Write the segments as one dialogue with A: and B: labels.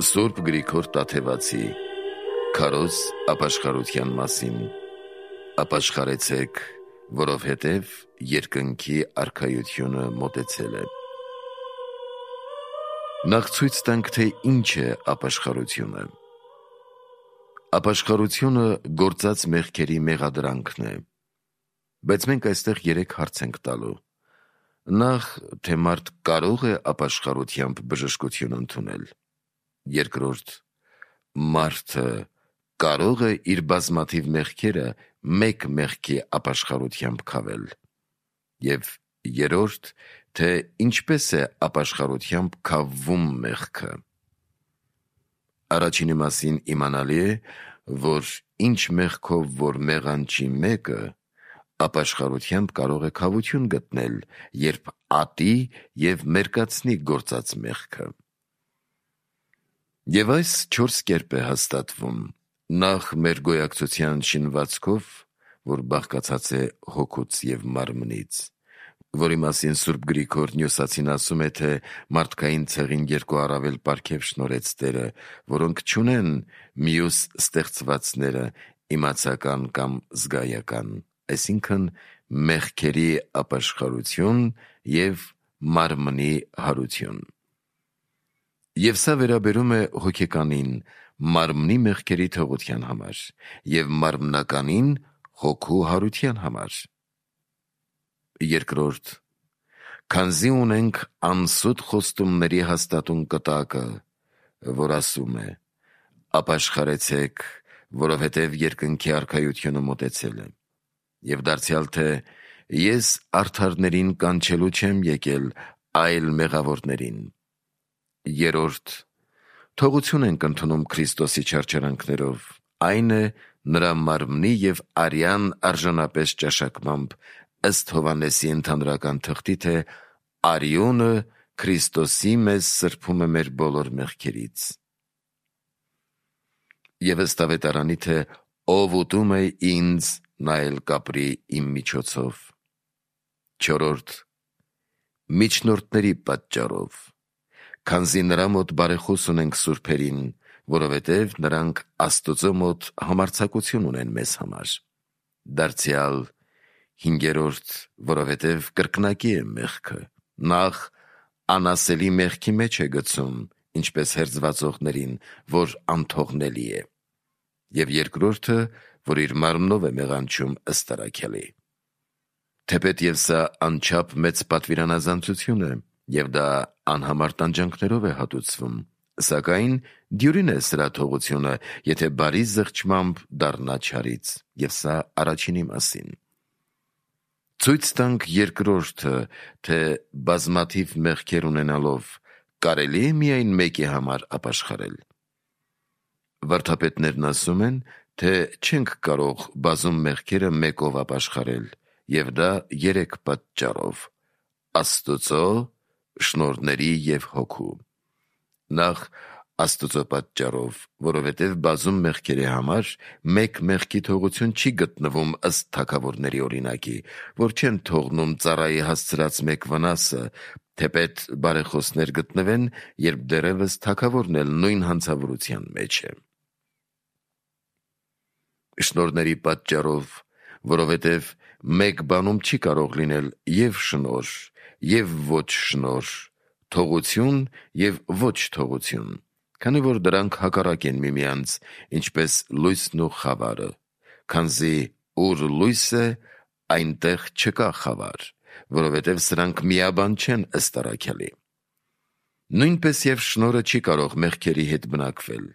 A: Սուրբ Գրիգոր Տաթևացի Քարոզ ապաշխարության մասին. Ապաշխարեցեք, որովհետև երկնքի արքայությունը մոտեցել է։ Նախ ցույց տանք, թե ինչ է ապաշխարությունը։ Ապաշխարությունը գործած մեղքերի մեղադրանքն է։ Բայց մենք այստեղ 3 հարց ենք տալու։ Նախ, թե մարդ կարող է ապաշխարությամբ բժշկություն ընդունել։ Երկրորդ, մարդը կարող է իր բազմաթիվ մեղքերը մեկ մեղքի ապաշխարությամբ քավել։ Եվ երրորդ, թե ինչպես է ապաշխարությամբ քավվում մեղքը։ Առաջինի մասին իմանալի է, որ ինչ մեղքով որ մեղանչի մեկը, ապաշխարությամբ կարող է քավություն գտնել, երբ ատի և մերկացնի գործած մեղքը։ Եվ այս 4 կերպ է հաստատվում. նախ մեր գոյակցության շինվածքով, որ բաղկացած է հոգուց և մարմնից, որի մասին Սուրբ Գրիգոր Նյուսացին ասում է, թե մարդկային ցեղին 2 առավել պարգև շնորհեց Տերը, որոնք չունեն մյուս ստեղծվածները իմացական կամ զգայական, այսինքն մեղքերի ապաշխարություն և մարմնի հարություն։ Եվ սա վերաբերում է հոգեկանին մարմնի մեղքերի թողության համար և մարմնականին հոգու հարության համար։ Երկրորդ, քանզի ունենք անսուտ խոստումների հաստատուն կտակը, որ ասում է. ապաշխարեցեք, որովհետև երկնքի արքայությունը մոտեցել է, և դարձյալ թե ես արդարներին կանչելու չեմ եկել, այլ մեղավորներին։ Երրորդ, թողություն ենք ընդունում Քրիստոսի չարչարանքներով, այն է նրա մարմնի և արյան արժանապես ճաշակմամբ, ըստ Հովհաննեսի ընդհանրական թղթի, թե արյունը Քրիստոսի մեզ սրբում է մեր բոլոր մեղքերից։ Եվ ըստ ավետարանի, թե ով ուտում է ինձ, նա էլ կապրի իմ միջոցով։ Չորրորդ, միջնորդների պատճառով, քանզի նրա մոտ բարեխոս ունենք սուրբերին, որովհետև նրանք Աստծո մոտ համարձակություն ունեն մեզ համար։ Դարձյալ, հինգերորդ, որովհետև կրկնակի է մեղքը, նախ անասելի մեղքի մեջ է գցում, ինչպես հերձվածողներին, որ անթողնելի է, և երկրորդը, որ իր մարմնով է մեղանչում ըստ առաքյալի։ Թեպետ և սա անչափ մեծ պատվիրանազանցություն է, և դա անհամար տանջանքներով է հատուցվում, սակայն դյուրին է սրա թողությունը, եթե բարի զղջմամբ դառնա չարից, և սա առաջինի մասին։ Ցույց տանք երկրորդը, թե բազմաթիվ մեղքեր ունենալով կարելի է միայն մեկի համար ապաշխարել։ Վարդապետներն ասում են, թե չենք կարող բազում մեղքերը մեկով ապաշխարել, և դա 3 պատճառով՝ Աստծո, շնորհների և հոգու։ Նախ Աստծո պատճառով, որովհետև բազում մեղքերի համար մեկ մեղքի թողություն չի գտնվում ըստ թագավորների օրինակի, որ չեն թողնում ծառայի հասցրած մեկ վնասը, թեպետ բարեխոսներ գտնվեն, երբ դեռևս թագավորն էլ նույն հանցավորության մեջ է։ Շնորհների պատճառով, որովհետև մեկ բանում չի կարող լինել և շնորհ, և ոչ շնորհ, թողություն և ոչ թողություն, քանի որ դրանք հակառակ են միմյանց, ինչպես լույսն ու խավարը, քանզի ուր լույս է, այնտեղ չկա խավար, որովհետև սրանք միաբան չեն ըստ առաքյալի։ Նույնպես և շնորհը չի կարող մեղքերի հետ բնակվել,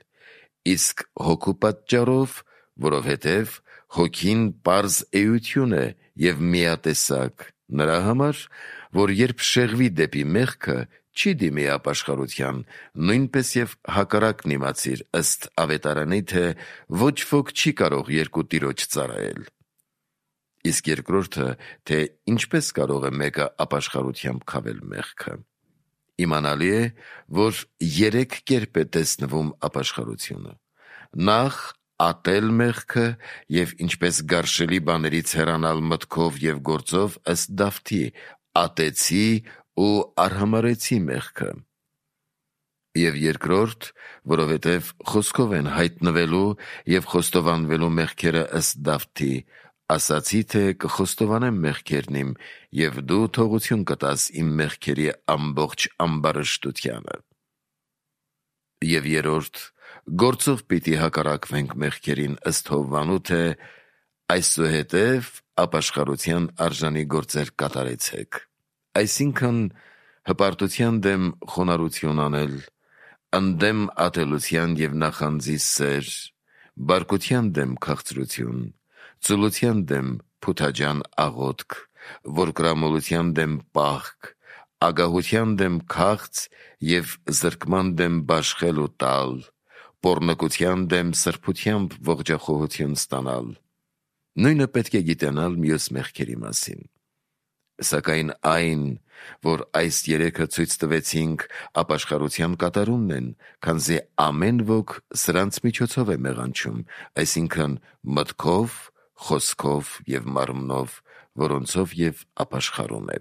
A: իսկ հոգու պատճառով, որովհետև հոգին պարզ էություն է և միատեսակ, նրա համար, որ երբ շեղվի դեպի մեղքը, չի դիմի ապաշխարության, նույնպես և հակառակն իմացիր, ըստ ավետարանի, թե ոչ ոք չի կարող երկու տիրոջ ծառայել։ Իսկ երկրորդը, թե ինչպես կարող է մեկը ապաշխարությամբ քավել մեղքը։ Իմանալի է, որ 3 կերպ է տեսնվում ապաշխարությունը։ Նախ ատել մեղքը և ինչպես գարշելի բաներից հեռանալ մտքով և գործով ըստ Դավթի. ատեցի ու արհամարհեցի մեղքը։ Եվ երկրորդ, որովհետև խոսքով են հայտնվելու և խոստովանվելու մեղքերը ըստ Դավթի, ասացի թե կխոստովանեմ մեղքերն իմ, և դու թողություն կտաս իմ մեղքերի ամբողջ ամբարշտությանը։ Եվ երրորդ, գործով պիտի հակառակվենք մեղքերին ըստ Հովվանու, թե այսուհետև ապաշխարության արժանի գործեր կատարեցեք, այսինքն հպարտության դեմ խոնարհություն անել, ընդդեմ ատելության և նախանձի սեր, բարկության դեմ քաղցրություն, ծուլության դեմ փութաջան աղոթք, որկրամոլության դեմ պահք, ագահության դեմ քաղց և զրկման դեմ բաշխել ու տալ, պոռնկության դեմ սրբությամբ ողջախոհություն ստանալ։ Նույնը պետք է գիտենալ մյուս մեղքերի մասին։ Սակայն այն, որ այս երեքը ցույց տվեցինք, ապաշխարության կատարումն են, քանզի ամեն ոք սրանց միջոցով է մեղանչում, այսինքն մտքով, խոսքով և մարմնով, որոնցով և ապաշխարում է։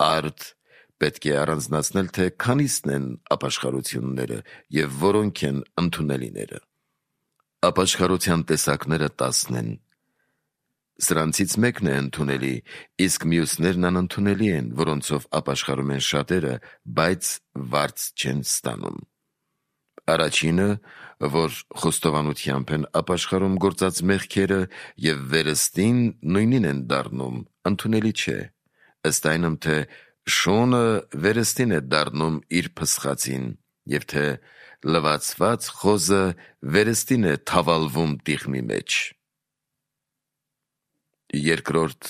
A: Արդ պետք է առանձնացնել, թե քանիսն են ապաշխարությունները և որոնք են ընդունելիները։ Ապաշխարության տեսակները 10 են։ Սրանցից մեկն է ընդունելի, իսկ մյուսներն անընդունելի են, որոնցով ապաշխարում են շատերը, բայց վարձ չեն ստանում։ Առաջինը, որ խոստովանությամբ են ապաշխարում գործած մեղքերը և վերստին նույնին են դառնում, ընդունելի չէ, ըստ այնմ, թե շունը վերստին է դառնում իր փսխածին, և թե լվացված խոզը վերստին է թավալվում տիղմի մեջ։ Երկրորդ,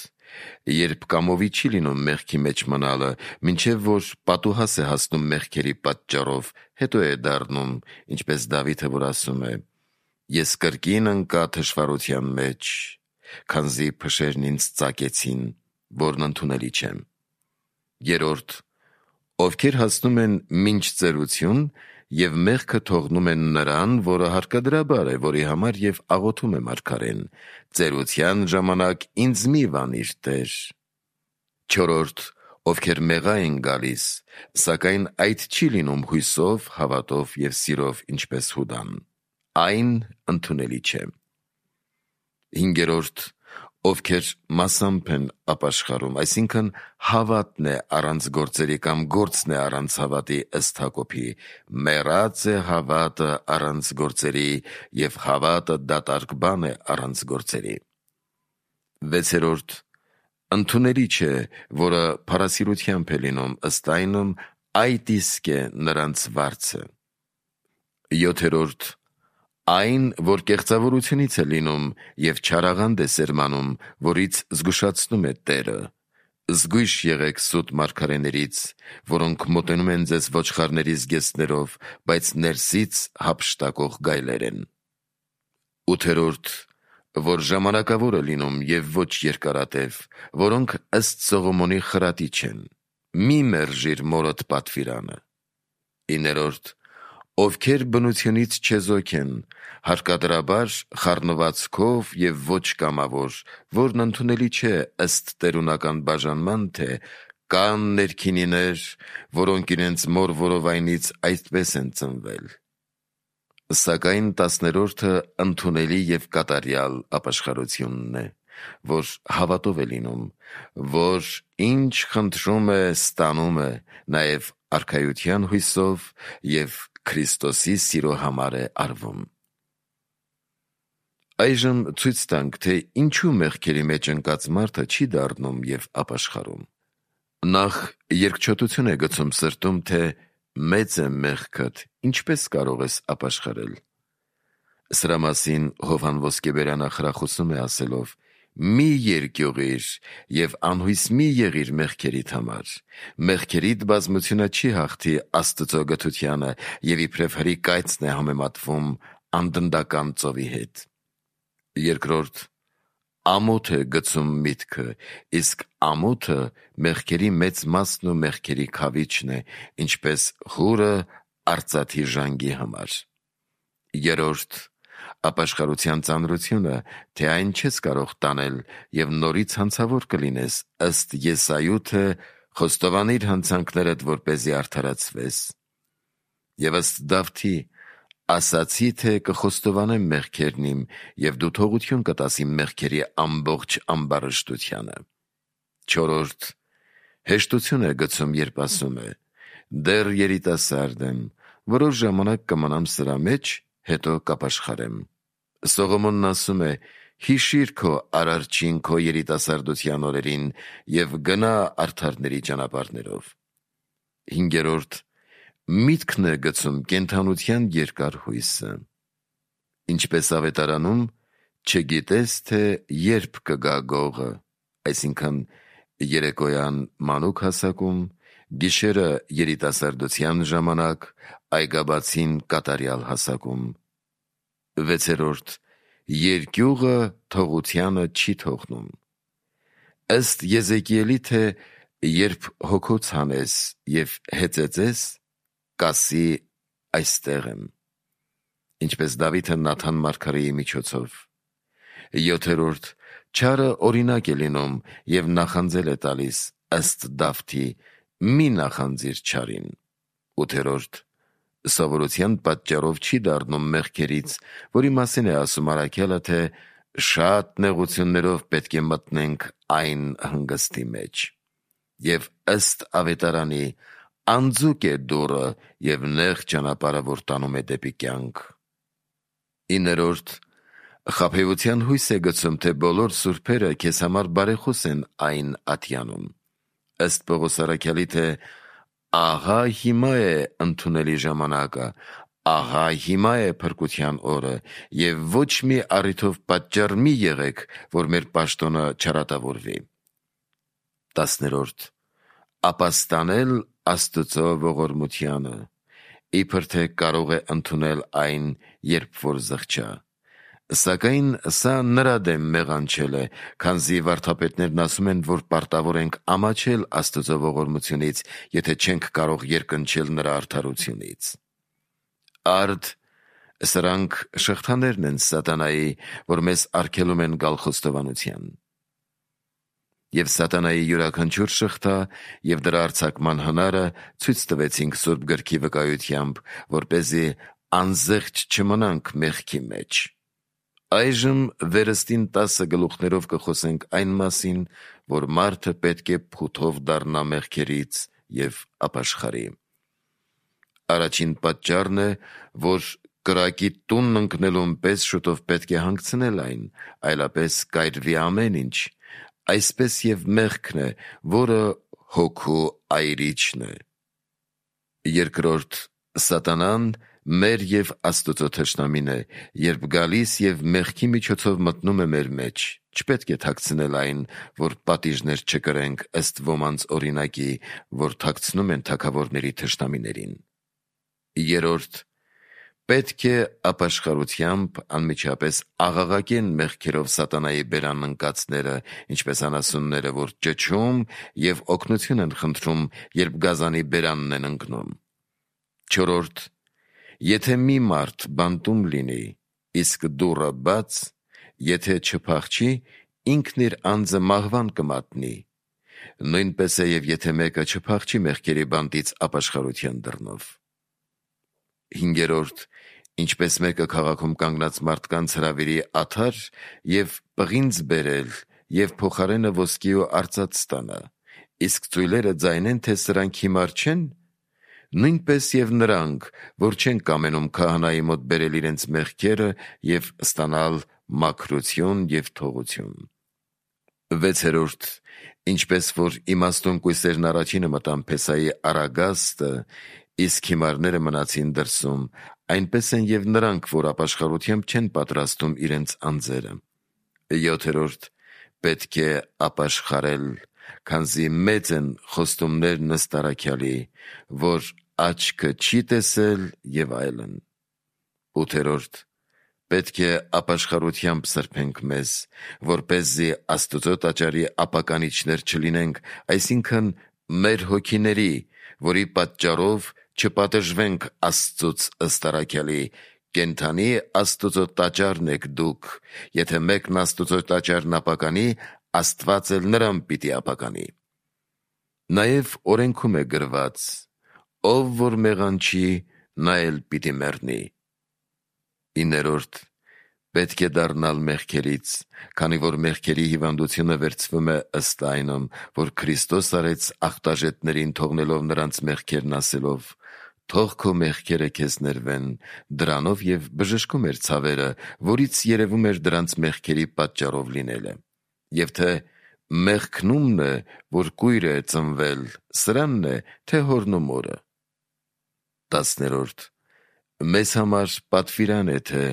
A: երբ կամովի չի լինում մեղքի մեջ մնալը, մինչև որ պատուհաս է հասնում մեղքերի պատճառով, հետո է դառնում, ինչպես Դավիթը որ ասում է. «Ես կրկին ընկա թշվառության մեջ, քանզի փշերն ինձ ծակեցին, որն ընդունելի չեմ»։ Երրորդ, ովքեր հասնում են մինչ ծերություն և մեղքը թողնում են նրան, որը հարկադրաբար է, որի համար և աղոթում է մարգարեն. «Ծերության ժամանակ ինձ մի վանիր, Տեր»։ Չորրորդ, ովքեր մեղա են գալիս, սակայն այդ չի լինում հույսով, հավատով և սիրով, ինչպես Հուդան, այն ընդունելի չէ։ Հինգերորդ, ովքեր մասամբ են ապաշխարում, այսինքն հավատն է առանց գործերի կամ գործն է առանց հավատի, ըստ Հակոբի. «Մեռած է հավատը առանց գործերի, և հավատը դատարկ բան է առանց գործերի»։ Վեցերորդ, ընդունելի չէ, որը փառասիրությամբ է լինում, ըստ այնմ, այդ իսկ է նրանց վարձը։ Յոթերորդ, այն, որ կեղծավորությունից է լինում և չարաղանդ է սերմանում, որից զգուշացնում է Տերը։ Զգույշ եղեք սուտ մարգարեներից, որոնք մոտենում են ձեզ ոչխարների զգեստներով, բայց ներսից հափշտակող գայլեր են։ Ութերորդ, որ ժամանակավոր է լինում և ոչ երկարատև, որոնք ըստ Սողոմոնի խրատի չեն։ Մի մերժիր մորդ պատվիրանը։ Իներորդ, ովքեր բնությունից չեզոք են, հարկադրաբար խառնվածքով և ոչ կամավոր, որն ընդունելի չէ ըստ տերունական բաժանման, թե կան ներքինիներ, որոնք իրենց մոր որովայնից այդպես են ծնվել։ Սակայն 10-րդը ընդունելի և կատարյալ ապաշխարությունն է, որ հավատով է լինում, որ ինչ խնդրում է, ստանում է, նաև արքայության հույսով և Քրիստոսի սիրո համար է արվում։ Այժմ ցույց տանք, թե ինչու մեղքերի մեջ ընկած մարդը չի դառնում և ապաշխարում։ Նախ երկչոտություն է գցում սրտում, թե մեծ է մեղքդ, ինչպես կարող ես ապաշխարել։ Սրա մասին Հովհան Ոսկեբերյանը խրախուսում է ասելով. «Մի երկյուղիր և անհույս մի եղիր մեղքերիդ համար։ Մեղքերիդ բազմությունը չի հաղթի Աստծո գթությանը և իբրև հրիկայծն է համեմատվում անդնդական ծովի հետ»։ Երկրորդ, ամոթ է գցում միտքը, իսկ ամոթը մեղքերի մեծ մասն ու մեղքերի քավիչն է, ինչպես հուրը արծաթի ժանգի համար։ Երրորդ, ապաշխարության ծանրությունը, թե այն չես կարող տանել և նորից հանցավոր կլինես, ըստ Եսայու, թե խոստովանիր հանցանքներդ, որպեսզի արդարացվես։ եւ ըստ Դավթի ասացի, թե կխոստովանեմ մեղքերն իմ, եւ դու թողություն կտաս իմ մեղքերի ամբողջ ամբարշտությանը։ 4. Հեշտություն է գցում, երբ ասում է. դեռ երիտասարդ եմ, որոշ ժամանակ կմնամ սրա մեջ, հետո կապաշխարեմ։ Սողոմոնն ասում է. հիշիր քո արարչին քո երիտասարդության օրերին եւ գնա արդարների ճանապարհներով։ 5. Միտքն է գցում կենդանության երկար հույսը։ Ինչպես ավետարանում, չգիտես, թե երբ կգա գողը, այսինքն երեկոյան մանուկ հասակում, գիշերը երիտասարդության ժամանակ, այգաբացին կատարյալ հասակում։ 6. Երկյուղը թողությանը չի թողնում։ Ըստ Եզեկիելի, թե երբ հոգոց հանես եւ հեծեծես, կասի այստեղ եմ, ինչպես Դավիթը Նաթան մարգարեի միջոցով։ 7. Չարը օրինակ է լինում եւ նախանձել է տալիս, ըստ Դավթի, մի նախանձիր չարին։ 8. Սովորության պատճառով չի դառնում մեղքերից, որի մասին է ասում առաքյալը, թե շատ նեղություններով պետք է մտնենք այն հանգստի մեջ։ Եվ ըստ ավետարանի, անձուկ է դուռը եւ նեղ ճանապարհը, որ տանում է դեպի կյանք։ 9. Խաբեության հույս է գցում, թե բոլոր սուրբերը քեզ համար բարեխոս են այն ատյանում։ Ըստ Պողոս առաքյալի, թե ահա հիմա է ընդունելի ժամանակը, ահա հիմա է փրկության օրը, եւ ոչ մի առիթով պատճառ մի եղեք, որ մեր պաշտոնը չարատավորվի։ 10. Ապաստանել Աստծո ողորմությանը, իբր թե կարող է ընդունել այն, երբ որ զղջա։ Սակայն սա նրա դեմ մեղանչել է, քանզի վարդապետներն ասում են, որ պարտավոր ենք ամաչել Աստծո ողորմությունից, եթե չենք կարող երկնչել նրա արդարությունից։ Արդ, սրանք շղթաներն են սատանայի, որ մեզ արգելում են գալ խոստովանության։ Եվ սատանայի յուրաքանչյուր շղթա եւ դրա արձակման հնարը ցույց տվեցինք Սուրբ գրքի վկայությամբ, որպեսզի անզեղչ չմնանք մեղքի մեջ։ Այժմ վերստին 10 գլուխներով կխոսենք այն մասին, որ մարդը պետք է փութով դառնա մեղքերից եւ ապաշխարի։ Առաջին պատճառն է, որ կրակի տունն ընկնելուն պես շուտով պետք է հանգցնել այն, այլապես կայրվի ամեն ինչ, այսպես եւ մեղքն է, որը հոգու այրիչն է։ 2. Սատանան մեր եւ Աստծո թշնամին է, երբ գալիս եւ մեղքի միջոցով մտնում է մեր մեջ, չպետք է թաքցնել այն, որ պատիժներ չկրենք ըստ ոմանց օրինակի, որ թաքցնում են թագավորների թշնամիներին։ 3. Պետք է ապաշխարությամբ անմիջապես աղաղակեն մեղքերով սատանայի բերան ընկածները, ինչպես անասունները, որ ճչում եւ օգնություն են խնդրում, երբ գազանի բերանն են ընկնում։ 4. Եթե մի մարդ բանտում լինի, իսկ դուռը բաց, եթե չփախչի, ինքն իր անձը մահվան կմատնի։ Նույնպես է եւ եթե մեկը չփախչի մեղքերի բանտից ապաշխարության դռնով։ 5. Ինչպես մեկը քաղաքում կանգնած մարդկանց հրավիրի աթար եւ պղինձ բերել եւ փոխարենը ոսկի ու արծաթ ստանա, իսկ ծույլերը ձայնեն, թե սրանք հիմար չեն, նույնպես եւ նրանք, որ չեն կամենում քահանայի մոտ բերել իրենց մեղքերը եւ ստանալ մաքրություն եւ թողություն։ 6. Ինչպես որ իմաստուն կույսերն առաջինը մտան Փեսայի արագաստը, իսկ հիմարները մնացին դրսում, այնպես են եւ նրանք, որ ապաշխարությամբ չեն պատրաստում իրենց անձերը։ 7. Պետք է ապաշխարել, քանզի մեծ են խոստումներն ըստ առաքյալի, որ աչքը չի տեսել եւ այլն։ 8. Պետք է ապաշխարությամբ սրբենք մեզ, որպեսզի Աստծո տաճարի ապականիչներ չլինենք, այսինքն մեր հոգիների, որի պատճառով չպատժվենք Աստծուց ըստ առաքյալի, կենդանի Աստծո տաճարն եք դուք, եթե մեկն Աստծո տաճարն ապականի, Աստված էլ նրան պիտի ապականի։ Նաև օրենքում է գրված. ով որ մեղանչի, նա էլ պիտի մեռնի։ 9. Պետք է դառնալ մեղքերից, քանի որ մեղքերի հիվանդությունը վերցվում է ըստ այնմ, որ Քրիստոս արեց աղտաժետներին թողնելով նրանց մեղքերն ասելով. «Թող քո մեղքերը քեզ ներվեն», դրանով և բժշկում էր ցավերը, որից երևում էր դրանց մեղքերի պատճառով լինելը։ Եվ թե մեղքն է, որ կույր է ծնվել, սրանն է, թե հորն ու մորը։ 10. Մեզ համար պատվիրան է, թե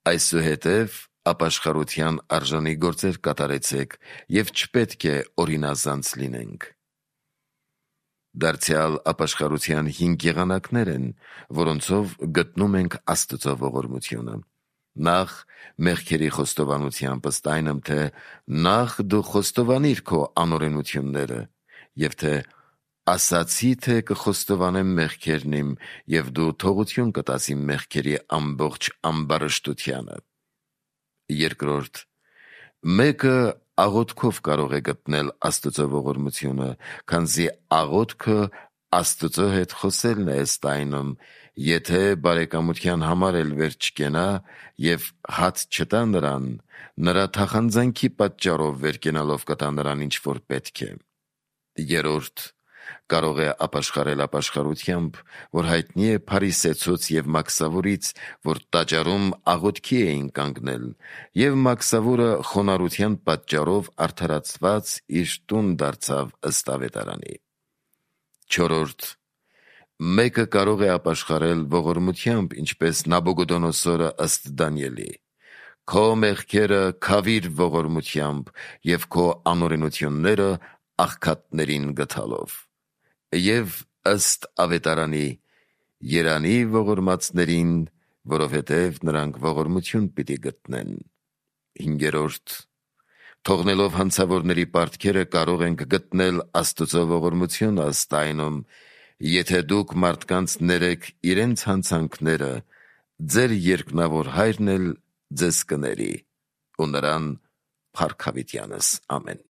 A: այսուհետև ապաշխարության արժանի գործեր կատարեցեք և չպետք է օրինազանց լինենք։ Դարձյալ ապաշխարության 5 եղանակներ են, որոնցով գտնում ենք Աստծո ողորմությունը։ Նախ մեղքերի խոստովանությամբ ըստ այնմ, թե նախ դու խոստովանիր քո անօրենությունները, և թե ասացի, թե կխոստովանեմ մեղքերն իմ, և դու թողություն կտաս իմ մեղքերի ամբողջ ամբարշտությանը։ 2. Մեկը աղոթքով կարող է գտնել Աստծո ողորմությունը, քանզի աղոթքը Աստծո հետ խոսելն է ըստ այնմ, եթե բարեկամության համար էլ վեր չկենա և հաց չտա նրան, նրա թախանձանքի պատճառով վեր կենալով կտա նրան ինչ որ պետք է։ 3. Կարող է ապաշխարել ապաշխարությամբ, որ հայտնի է Փարիսեցուց և Մաքսավուրից, որ տաճարում աղոթքի էին կանգնել, և Մաքսավուրը խոնարհության պատճառով արդարացված իր տուն դարձավ ըստ ավետարանի։ 4. Մեկը կարող է ապաշխարել ողորմությամբ, ինչպես Նաբուգոդոնոսորը ըստ Դանիելի։ Քո մեղքերը քավիր ողորմությամբ և քո անօրենությունները աղքատներին գթալով։ Եվ ըստ ավետարանի երանի ողորմածներին, որովհետև նրանք ողորմություն պիտի գտնեն։ 5. Թողնելով հանցավորների պարտքերը կարող ենք գտնել Աստծո ողորմությունը ըստ այնմ, եթե դուք մարդկանց ներեք իրենց հանցանքները, ձեր երկնավոր Հայրն էլ ձեզ կների, ու նրան փառք հավիտյանս։ Ամեն։